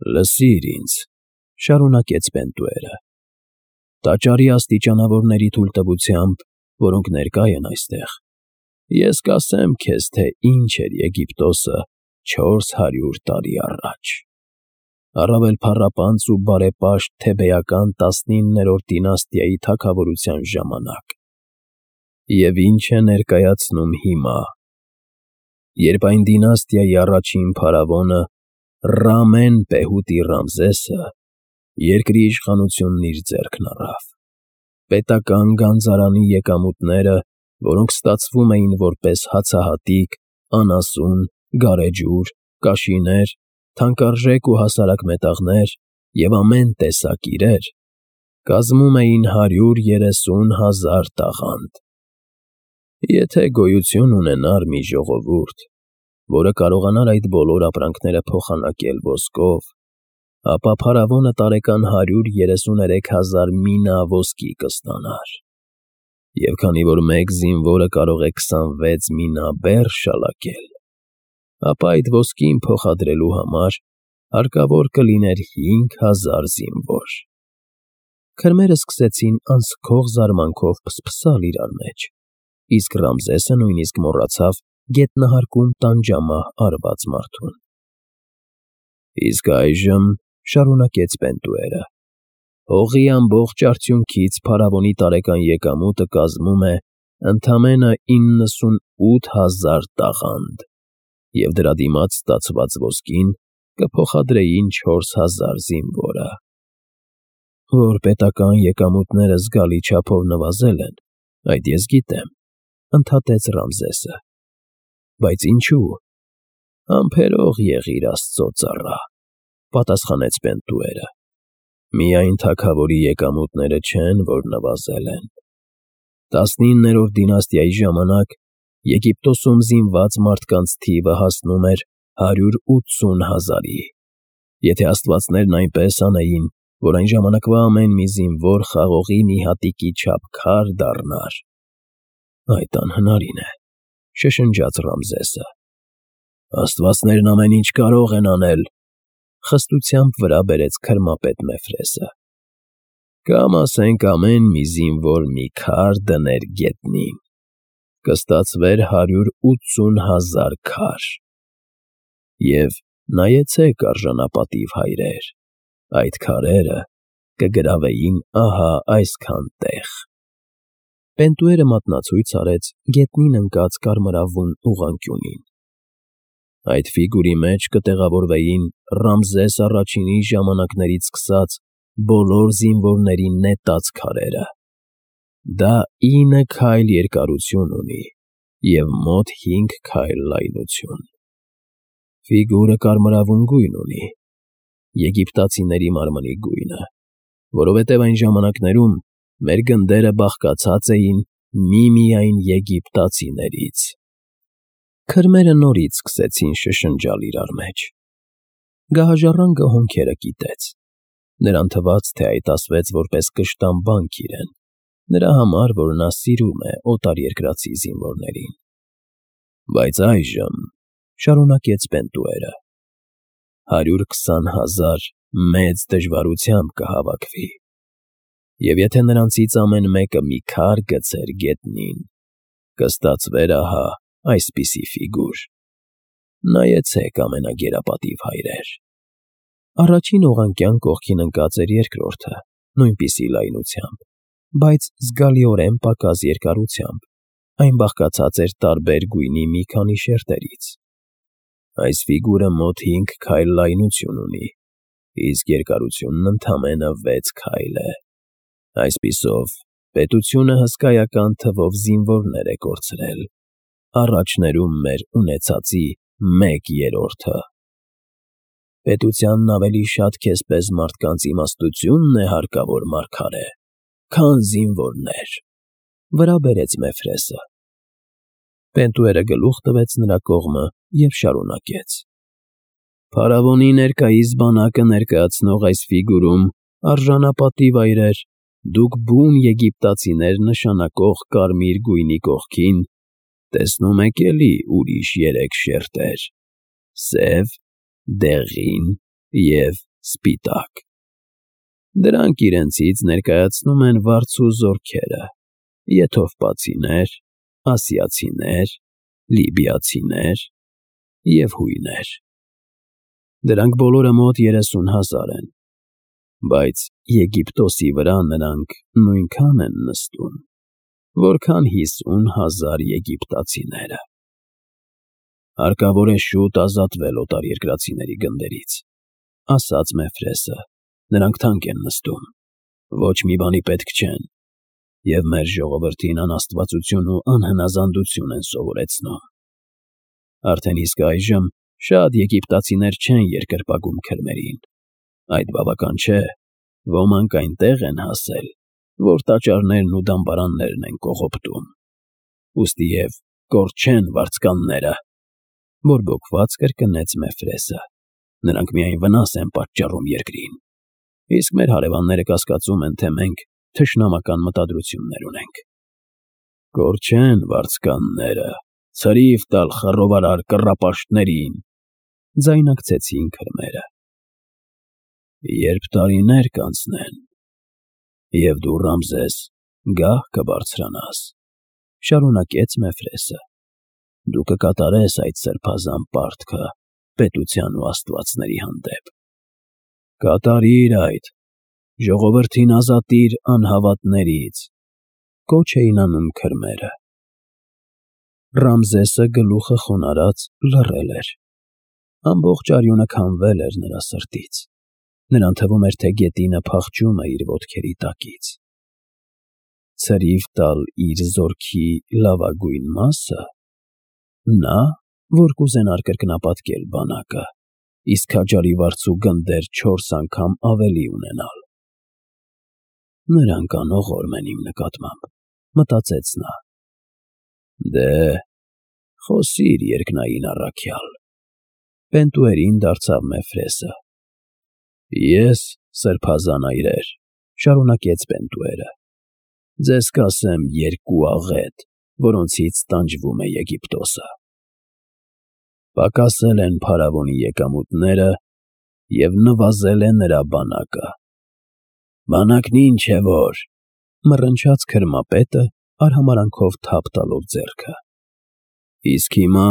Լսիր ինձ, շարունակեց Պենտուերը, տաճարի աստիճանավորների թույլտվությամբ, որոնք ներկա են այստեղ, ես կասեմ քեզ, թե ինչ էր Եգիպտոսը 400 տարի առաջ, առավել փառապանծ ու բարեպաշտ Թեբեական 19-րդ դինաստիայի թագավորության ժամանակ, և ինչ է ներկայացնում հիմա, երբ այն դինաստիայի առաջին փարավոնը Ռամեն-Պեհուտի Ռամզեսը երկրի իշխանությունն իր ձեռքն առավ, պետական գանձարանի եկամուտները, որոնք ստացվում էին որպես հացահատիկ, անասուն, գարեջուր, կաշիներ, թանկարժեք ու հասարակ մետաղներ և ամեն տեսակ իրեր, կազմում էին 130,000 տաղանդ։ Եթե գոյություն ունենար մի ժողովուրդ, որը կարողանար այդ բոլոր ապրանքները փոխանակել ոսկով, ապա փարավոնը տարեկան 133,000 մինա ոսկի կստանար, և քանի որ մեկ զինվորը կարող է 26 մինա բեռ շալակել, ապա այդ ոսկին փոխադրելու համար հարկավոր կլիներ 5,000 զինվոր։ Քրմերը սկսեցին անսքող զարմանքով փսփսալ իրար մեջ, իսկ Ռամզեսը նույնիսկ մոռացավ գետնահարկում տանջամահ արված մարդուն։ Իսկ այժմ, շարունակեց Պենտուերը, հողի ամբողջ արդյունքից փարավոնի տարեկան եկամուտը կազմում է ընդամենը 98,000 տաղանդ, և դրա դիմաց ստացված ոսկին կփոխադրեին 4,000 զինվորը։ Որ պետական եկամուտները զգալի չափով նվազել են, այդ ես գիտեմ, ընդհատեց Ռամզեսը, բայց ինչու՞։ Համբերող եղիր Աստծո ծառա, պատասխանեց Պենտուերը, միայն թագավորի եկամուտները չեն, որ նվազել են։ 19-րդ դինաստիայի ժամանակ Եգիպտոսում զինված մարդկանց թիվը հասնում էր 180,000-ի, եթե աստվածներն այնպես անեին, որ այն ժամանակվա ամեն մի զինվոր խաղողի մի հատիկի չափ քար դառնար։ Այդ անհնարին է, շշնջաց Ռամզեսը։ Աստվածներն ամեն ինչ կարող են անել, խստությամբ վրա բերեց քրմապետ Մեֆրեսը։ Կամ ասենք ամեն մի զինվոր մի քար դներ գետնին, կստացվեր 180,000 քար։ Եվ նայեցեք, արժանապատիվ հայրեր, այդ քարերը կգրավեին ահա այսքան տեղ։ Պենտուերը մատնացույց արեց գետնին ընկած կարմրավուն ուղղանկյունին։ Այդ ֆիգուրի մեջ կտեղավորվեին Ռամզես առաջինի ժամանակներից սկսած բոլոր զինվորների նետած քարերը։ Դա 9 քայլ երկարություն ունի և մոտ 5 քայլ լայնություն։ Ֆիգուրը կարմրավուն գույն ունի, եգիպտացիների մարմնի գույնը, որովհետև այն ժամանակներում մեր գնդերը բաղկացած էին միմիայն եգիպտացիներից։ Քրմերը նորից սկսեցին շշնջալ իրար մեջ։ Գահաժառանգը հոնքերը կիտեց։ Նրան թվաց, թե այդ ասվեց որպես կշտամբանք իրեն, նրա համար, որ նա սիրում է օտարերկրացի զինվորներին։ Բայց այժմ, շարունակեց Պենտուերը, 120,000 մեծ դժվարությամբ կհավաքվի, և եթե նրանցից ամեն մեկը մի քար գցեր գետնին, կստացվեր ահա այսպիսի ֆիգուր։ Նայեցեք, ամենագերապատիվ հայրեր։ Առաջին ուղղանկյան կողքին ընկած էր երկրորդը, նույնպիսի լայնությամբ, բայց զգալիորեն պակաս երկարությամբ, այն բաղկացած էր տարբեր գույնի մի քանի շերտերից։ Այս ֆիգուրը մոտ 5 քայլ լայնություն ունի, իսկ երկարությունն ընդամենը 6 քայլ է։ Այսպիսով, պետությունը հսկայական թվով զինվորներ է կորցրել, առաջներում մեր ունեցածի 1/3-ը։ Պետությանն ավելի շատ քեզպես մարդկանց իմաստությունն է հարկավոր, մարգարե, քան զինվորներ, վրա բերեց Մեֆրեսը։ Պենտուերը գլուխ տվեց նրա կողմը և շարունակեց. Փարավոնի ներկայիս բանակը ներկայացնող այս ֆիգուրում, արժանապատիվ այրեր, դուք բուն եգիպտացիներ նշանակող կարմիր գույնի կողքին տեսնում եք էլի ուրիշ 3 շերտեր՝ սև, դեղին և սպիտակ։ Դրանք իրենցից ներկայացնում են վարձու զորքերը, եթովպացիներ, ասիացիներ, լիբիացիներ և հույներ։ Դրանք բոլորը մոտ 30,000 են, բայց Եգիպտոսի վրա նրանք նույնքան են նստում, որքան 50,000 եգիպտացիները։ Հարկավոր է շուտ ազատվել օտարերկրացիների գնդերից, ասաց Մեֆրեսը, նրանք թանկ են նստում, ոչ մի բանի պետք չեն, և մեր ժողովրդին անաստվածություն ու անհնազանդություն են սովորեցնում։ Արդեն իսկ այժմ շատ եգիպտացիներ չեն երկրպագում քրմերին, այդ բավական չէ, ոմանք այնտեղ են հասել, որ տաճարներն ու դամբարաններն են կողոպտում, ուստի և կորչեն վարձկանները, բորբոքված կրկնեց Մեֆրեսը, նրանք միայն վնաս են պատճառում երկրին, իսկ մեր հարևանները կասկածում են, թե մենք թշնամական մտադրություններ ունենք։ Կորչեն վարձկանները, ցրիվ տալ խռովարար կռապաշտներին, ձայնակցեցին քրմերը։ Երբ տարիներ կանցնեն, և դու, Ռամզես, գահ կբարձրանաս, շարունակեց Մեֆրեսը, դու կկատարես այդ սրբազան պարտքը պետության ու աստվածների հանդեպ։ Կատարիր այդ, ժողովրդին ազատիր անհավատներից, կոչ էին անում քրմերը։ Ռամզեսը գլուխը խոնարհած լռել էր։ Ամբողջ արյունը քամվել էր նրա սրտից։ Նրան թվում էր, թե գետինը փախչում է իր ոտքերի տակից։ Ցրիվ տալ իր զորքի լավագույն մասը, նա, որ կուզենար կրկնապատկել բանակը, իսկ քաջարի վարձու գնդեր 4 անգամ ավելի ունենալ։ Նրանք անողորմ են իմ նկատմամբ, մտածեց նա։ Դե, խոսիր երկնային առաքյալ։ Պենտուերին դարձավ Մեֆրեսը։ Ես, սրբազան այրեր, շարունակեց Պենտուերը, ձեզ կասեմ երկու աղետ, որոնցից տանջվում է Եգիպտոսը։ Պակասել են փարավոնի եկամուտները և նվազել է նրա բանակը։ Բանակն ինչ է որ, մռնչաց քրմապետը, արհամարանքով թափ տալով ձեռքը։ Իսկ հիմա,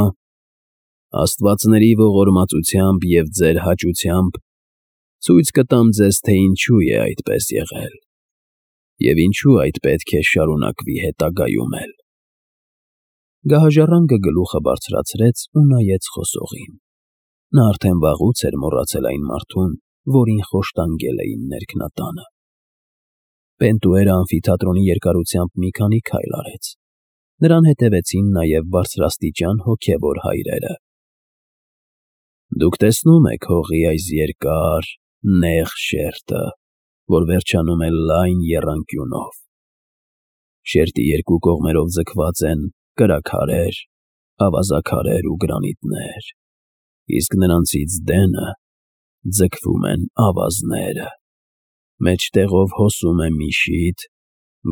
աստվածների ողորմածությամբ և ձեր հաճությամբ, ցույց կտամ ձեզ, թե ինչու է այդպես եղել, և ինչու այդ պետք է շարունակվի հետագայում էլ։ Գահաժառանգը գլուխը բարձրացրեց ու նայեց խոսողին։ Նա արդեն վաղուց էր մոռացել այն մարդուն, որին խոշտանգել էին ներքնատանը։ Պենտուերը ամֆիթատրոնի երկարությամբ մի քանի քայլ արեց։ Նրան հետևեցին նաև բարձրաստիճան հոգևոր հայրերը։ Դուք տեսնում եք հողի այս երկար, նեղ շերտը, որ վերջանում է լայն եռանկյունով։ Շերտի երկու կողմերով ձգված են կրաքարեր, ավազաքարեր ու գրանիտներ, իսկ նրանցից դենը ձգվում են ավազները։ Մեջտեղով հոսում է մի շիթ,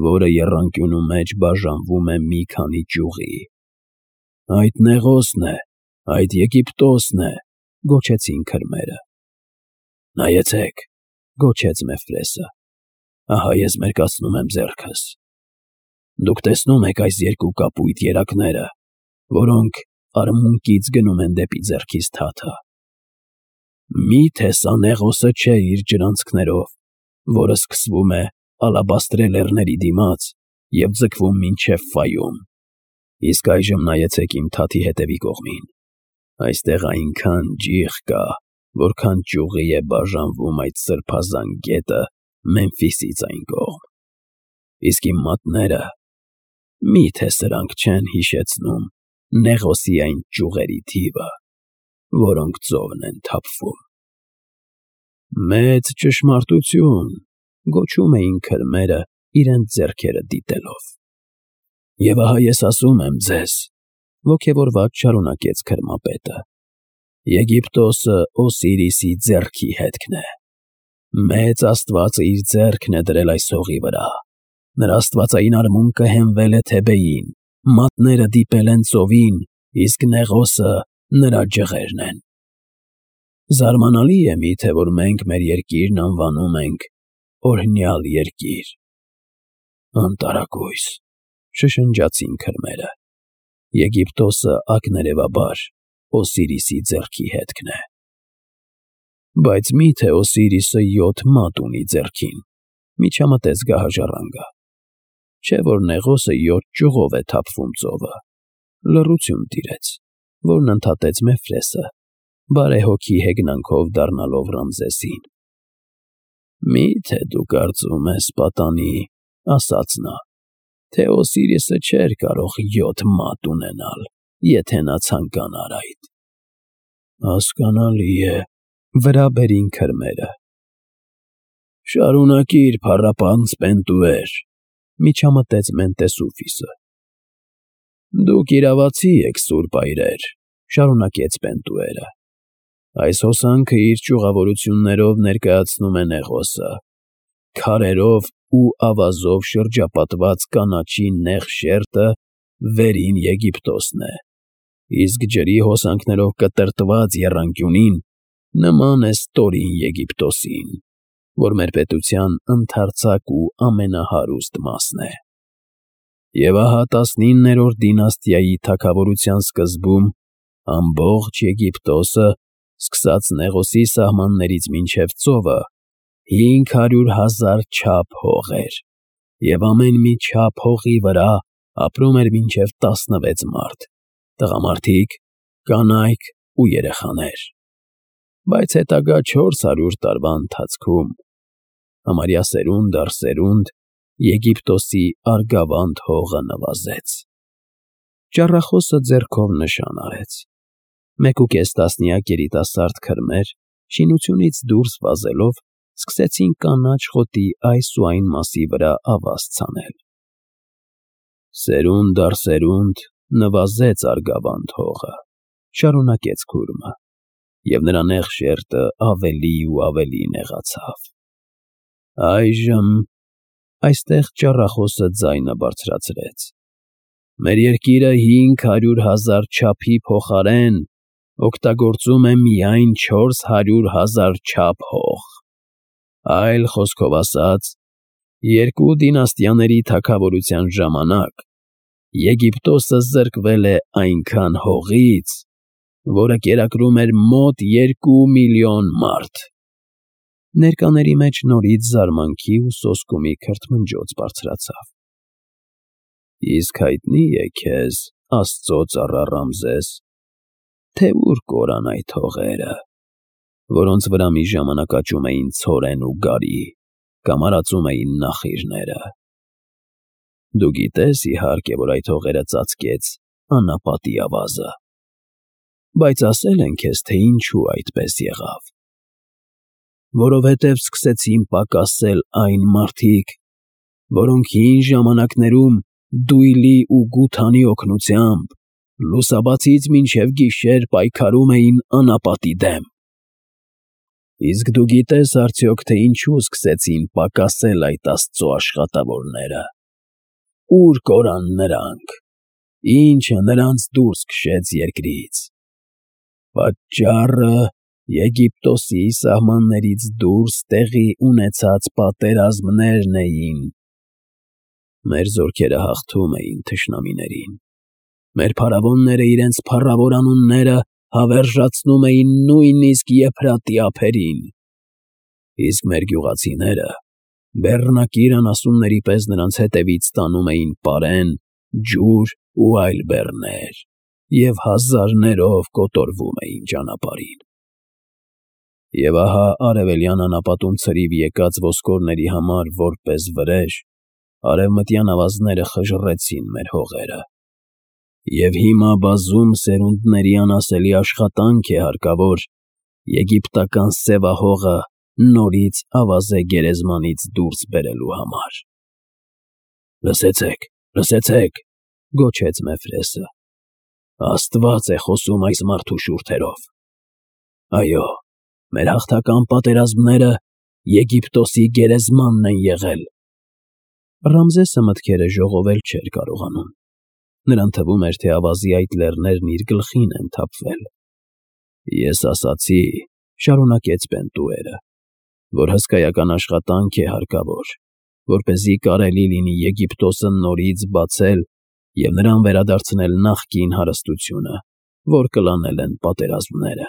որը եռանկյունու մեջ բաժանվում է մի քանի ճյուղի։ Այդ Նեղոսն է, այդ Եգիպտոսն է, գոչեցին քրմերը։ Նայեցեք, գոչեց Մեֆրեսը, ահա ես մերկացնում եմ ձեռքս։ Դուք տեսնում եք այս երկու կապույտ երակները, որոնք արմունկից գնում են դեպի ձեռքիս թաթը։ Մի՞թե սա Նեղոսը չէ իր ջրանցքներով, որը սկսվում է ալաբաստրե լեռների դիմաց և ձգվում մինչև Ֆայում։ Իսկ այժմ նայեցեք իմ թաթի հետևի կողմին։ Այստեղ այնքան ջիղ կա, որքան ճյուղի է բաժանվում այդ սրբազան գետը Մեմֆիսից այն կողմ։ Իսկ իմ մատները, մի՞թե սրանք չեն հիշեցնում Նեղոսի այն ճյուղերի թիվը, որոնք ծովն են թափվում։ Մեծ ճշմարտություն, գոչում էին քրմերը իրենց ձեռքերը դիտելով։ Եվ ահա ես ասում եմ ձեզ, ոգևորված շարունակեց քրմապետը, Եգիպտոսը Օսիրիսի ձեռքի հետքն է։ Մեծ Աստվածը իր ձեռքն է դրել այս հողի վրա։ Նրա աստվածային արմունկը հենվել է Թեբեին, մատները դիպել են ծովին, իսկ Նեղոսը նրա ջղերն են։ Զարմանալի է միթե, որ մենք մեր երկիրն անվանում ենք օրհնյալ երկիր։ Անտարակույս, շշնջացին քրմերը։ Եգիպտոսը ակներևաբար Օսիրիսի ձեռքի հետքն է։ Բայց միթե Օսիրիսը 7 մատ ունի ձեռքին, միջամտեց գահաժառանգը։ Չէ՞ որ Նեղոսը 7 ճյուղով է թափվում ծովը։ Լռություն տիրեց, որն ընդհատեց Մեֆրեսը, բարեհոգի հեգնանքով դառնալով Ռամզեսին։ Մի՞թե դու կարծում ես, պատանի, ասաց նա, թե Օսիրիսը չէր կարող 7 մատ ունենալ, եթե նա ցանկանար այդ։ Հասկանալի է, վրա բերին քրմերը։ Շարունակիր, փառապանծ Պենտուեր, միջամտեց Մենտեսուֆիսը։ Դուք իրավացի եք, սուրբ այրեր, շարունակեց Պենտուերը։ Այս հոսանքը իր ճյուղավորություններով ներկայացնում է Նեղոսը, քարերով ու ավազով շրջապատված կանաչի նեղ շերտը վերին Եգիպտոսն է, իսկ ջրի հոսանքներով կտրտված եռանկյունին նման է ստորին Եգիպտոսին, որ մեր պետության ընդարձակ ու ամենահարուստ մասն է։ Եվ ահա 19-րդ դինաստիայի թագավորության սկզբում ամբողջ Եգիպտոսը, սկսած Նեղոսի սահմաններից մինչև ծովը, 500,000 չափ հող էր, և ամեն մի չափ հողի վրա ապրում էր մինչև 16 մարդ, տղամարդիկ, կանայք ու երեխաներ։ Բայց հետագա 400 տարվա ընթացքում, համարյա սերունդ առ սերունդ, Եգիպտոսի արգավանդ հողը նվազեց։ Ճառախոսը ձեռքով նշան արեց։ 1.5 տասնյակ երիտասարդ քրմեր, շինությունից դուրս վազելով, սկսեցին կանաչ խոտի այս ու այն մասի վրա ավազ ցանել։ Սերունդ առ սերունդ նվազեց արգավանդ հողը, շարունակեց քուրմը, և նրա նեղ շերտը ավելի ու ավելի նեղացավ։ Այժմ այստեղ ճառախոսը ձայնը բարձրացրեց։ Մեր երկիրը 500,000 չափի փոխարեն օգտագործում է միայն 400,000 չափ հող։ Այլ խոսքով ասած, 2 դինաստիաների թագավորության ժամանակ Եգիպտոսը զրկվել է այնքան հողից, որը կերակրում էր մոտ 2 միլիոն մարդ։ Ներկաների մեջ նորից զարմանքի ու սոսկումի քրթմնջոց բարձրացավ։ Իսկ հայտնի է քեզ, Աստծո ծառա Ռամզես, թե ուր կորան այդ հողերը, որոնց վրա մի ժամանակ աճում էին ցորեն ու գարի, կամ արածում էին նախիրները։ Դու գիտես, իհարկե, որ այդ հողերը ծածկեց անապատի ավազը։ Բայց ասել են քեզ, թե ինչու այդպես եղավ։ Որովհետև սկսեցին պակասել այն մարդիկ, որոնք հին ժամանակներում դույլի ու գութանի օգնությամբ լուսաբացից մինչև գիշեր պայքարում էին անապատի դեմ։ Իսկ դու գիտես արդյոք, թե ինչու սկսեցին պակասել այդ Աստծո աշխատավորները։ Ուր կորան նրանք, ինչը նրանց դուրս քշեց երկրից։ Պատճառը Եգիպտոսի սահմաններից դուրս տեղի ունեցած պատերազմներն էին։ Մեր զորքերը հաղթում էին թշնամիներին։ Մեր փարավոնները իրենց փառավոր անունները հավերժացնում էին նույնիսկ Եփրատի ափերին։ Իսկ մեր գյուղացիները բեռնակիր անասունների պես նրանց հետևից տանում էին պարեն, ջուր ու այլ բեռներ և հազարներով կոտորվում էին ճանապարհին։ Եվ ահա արևելյան անապատում ցրիվ եկած ոսկորների համար որպես վրեժ, արևմտյան ավազները խժռեցին մեր հողերը։ Եվ հիմա բազում սերունդների անասելի աշխատանք է հարկավոր եգիպտական սևահողը նորից ավազե գերեզմանից դուրս բերելու համար։ Լսեցեք, լսեցեք, գոչեց Մեֆրեսը։ Աստված է խոսում այս մարդու շուրթերով։ Այո, մեր հաղթական պատերազմները Եգիպտոսի գերեզմանն են եղել։ Ռամզեսը մտքերը ժողովել չէր կարողանում։ Նրան թվում էր, թե ավազի այդ լեռներն իր գլխին են թափվել։ Ես ասացի, շարունակեց Պենտուերը, որ հսկայական աշխատանք է հարկավոր, որպեսզի կարելի լինի Եգիպտոսը նորից բացել և նրան վերադարձնել նախկին հարստությունը, որ կլանել են պատերազմները։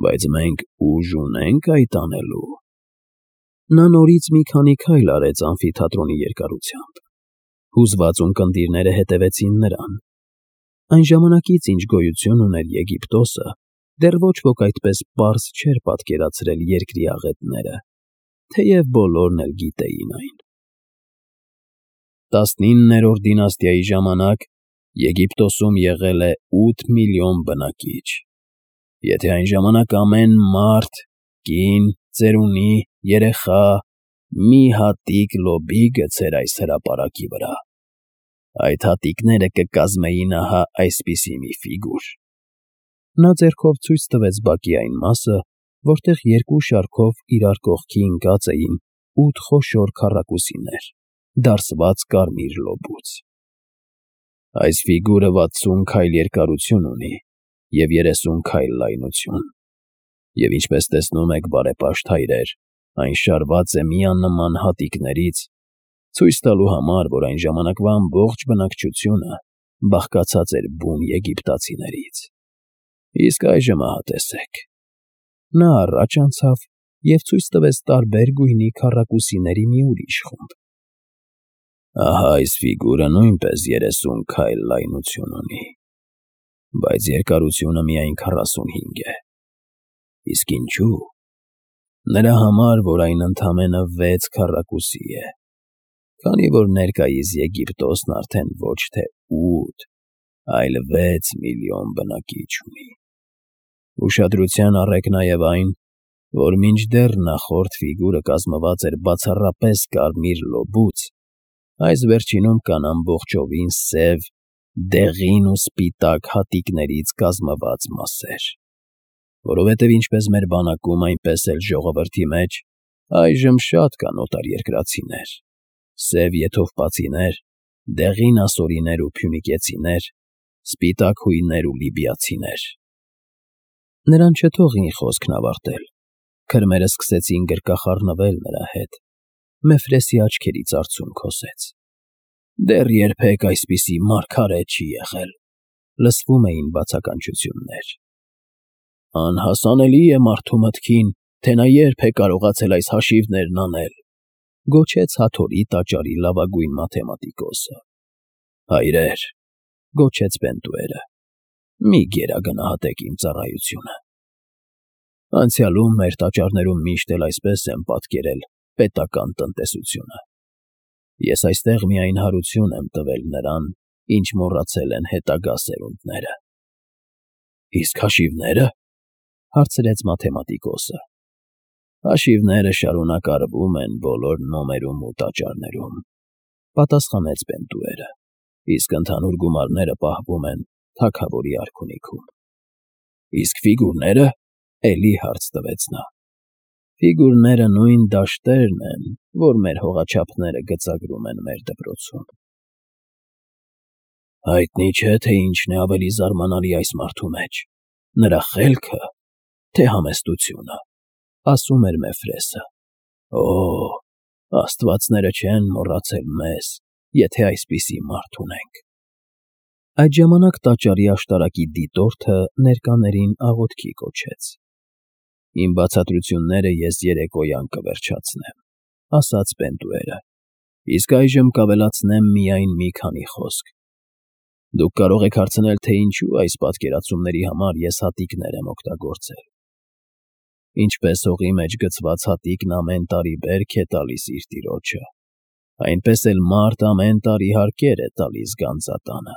Բայց մենք ուժ ունենք այդ անելու։ Նա նորից մի քանի քայլ արեց ամֆիթատրոնի երկարությամբ։ Հուզված ունկնդիրները հետևեցին նրան։ Այն ժամանակից, ինչ գոյություն ուներ Եգիպտոսը, դեռ ոչ ոք այդպես պարզ չէր պատկերացրել երկրի աղետները, թեև բոլորն էլ գիտեին այն։ 19-րդ դինաստիայի ժամանակ Եգիպտոսում եղել է 8 միլիոն բնակիչ։ Եթե այն ժամանակ ամեն մարդ, կին, ծերունի, երեխա մի հատիկ լոբի գցեր այս հրապարակի վրա, այդ հատիկները կկազմեին ահա այսպիսի մի ֆիգուր։ Նա ձեռքով ցույց տվեց բակի այն մասը, որտեղ երկու շարքով իրար կողքի ընկած էին 8 խոշոր քառակուսիներ, դարսված կարմիր լոբուց։ Այս ֆիգուրը 60 քայլ երկարություն ունի և 30 քայլ լայնություն, և ինչպես տեսնում եք, բարեպաշտ հայրեր, այն շարված է միանման հատիկներից, ցույց տալու համար, որ այն ժամանակվա ամբողջ բնակչությունը բաղկացած էր բուն եգիպտացիներից։ Իսկ այժմ ահա տեսեք։ Նա առաջ անցավ և ցույց տվեց տարբեր գույնի քառակուսիների մի ուրիշ խումբ։ Ահա այս ֆիգուրը նույնպես 30 քայլ լայնություն ունի, բայց երկարությունը միայն 45 է։ Իսկ ինչու՞։ Նրա համար, որ այն ընդամենը 6 քառակուսի է, քանի որ ներկայիս Եգիպտոսն արդեն ոչ թե 8, այլ 6 միլիոն բնակիչ ունի։ Ուշադրության առեք նաև այն, որ մինչդեռ նախորդ ֆիգուրը կազմված էր բացառապես կարմիր լոբուց, այս վերջինում կան ամբողջովին սև, դեղին ու սպիտակ հատիկներից կազմված մասեր, որովհետև ինչպես մեր բանակում, այնպես էլ ժողովրդի մեջ այժմ շատ կան օտարերկրացիներ, սև եթովպացիներ, դեղին ասորիներ ու փյունիկեցիներ, սպիտակ հույներ ու լիբիացիներ։ Նրան չթողին խոսքն ավարտել, քրմերը սկսեցին գրկախառնվել նրա հետ, Մեֆրեսի աչքերից արցունք հոսեց։ Դեռ երբեք այսպիսի մարգարե չի եղել, լսվում էին բացականչություններ։ Անհասանելի է մարդու մտքին, թե նա երբ է կարողացել այս հաշիվներն անել, գոչեց Հաթորի տաճարի լավագույն մաթեմատիկոսը։ Հայրեր, գոչեց Պենտուերը, մի գերագնահատեք իմ ծառայությունը։ Անցյալում մեր տաճարներում միշտ էլ այսպես են պատկերել պետական տնտեսությունը։ Ես այստեղ միայն հարություն եմ տվել նրան, ինչ մոռացել են հետագա սերունդները։ Իսկ հաշիվնե՞րը, հարցրեց մաթեմատիկոսը։ Հաշիվները շարունակ արվում են բոլոր նոմերում ու տաճարներում, պատասխանեց Պենտուերը, իսկ ընդհանուր գումարները պահվում են թագավորի արքունիքում։ Իսկ ֆիգուրնե՞րը, էլի հարց տվեց նա։ Ֆիգուրները նույն դաշտերն են, որ մեր հողաչափները գծագրում են մեր դպրոցում։ Հայտնի չէ, թե ինչն է ավելի զարմանալի այս մարդու մեջ, նրա խելքը, թե համեստությունը, ասում էր Մեֆրեսը։ Օ, աստվածները չեն մոռացել մեզ, եթե այսպիսի մարդ ունենք։ Այդ ժամանակ տաճարի աշտարակի դիտորդը ներկաներին աղոթքի կոչեց։ Իմ բացատրությունները ես երեկոյան կվերջացնեմ, ասաց Պենտուերը, իսկ այժմ կավելացնեմ միայն մի քանի խոսք։ Դուք կարող եք հարցնել, թե ինչու այս պատկերացումների համար ես հատիկներ եմ օգտագործել։ Ինչպես հողի մեջ գցված հատիկն ամեն տարի բերք է տալիս իր տիրոջը, այնպես էլ մարդ ամեն տարի հարկեր է տալիս գանձատանը։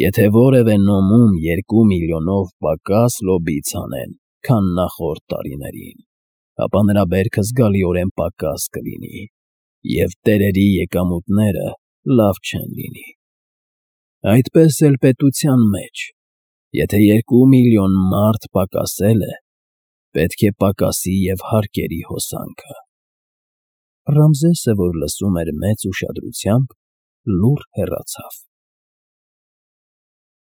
Եթե որևէ նոմում 2 միլիոնով պակաս լոբից անեն, քան նախորդ տարիներին, ապա նրա բերքը զգալիորեն պակաս կլինի, և տերերի եկամուտները լավ չեն լինի։ Այդպես էլ պետության մեջ, եթե 2 միլիոն մարդ պակասել է, պետք է պակասի և հարկերի հոսանքը։ Ռամզեսը, որ լսում էր մեծ ուշադրությամբ, լուռ հեռացավ։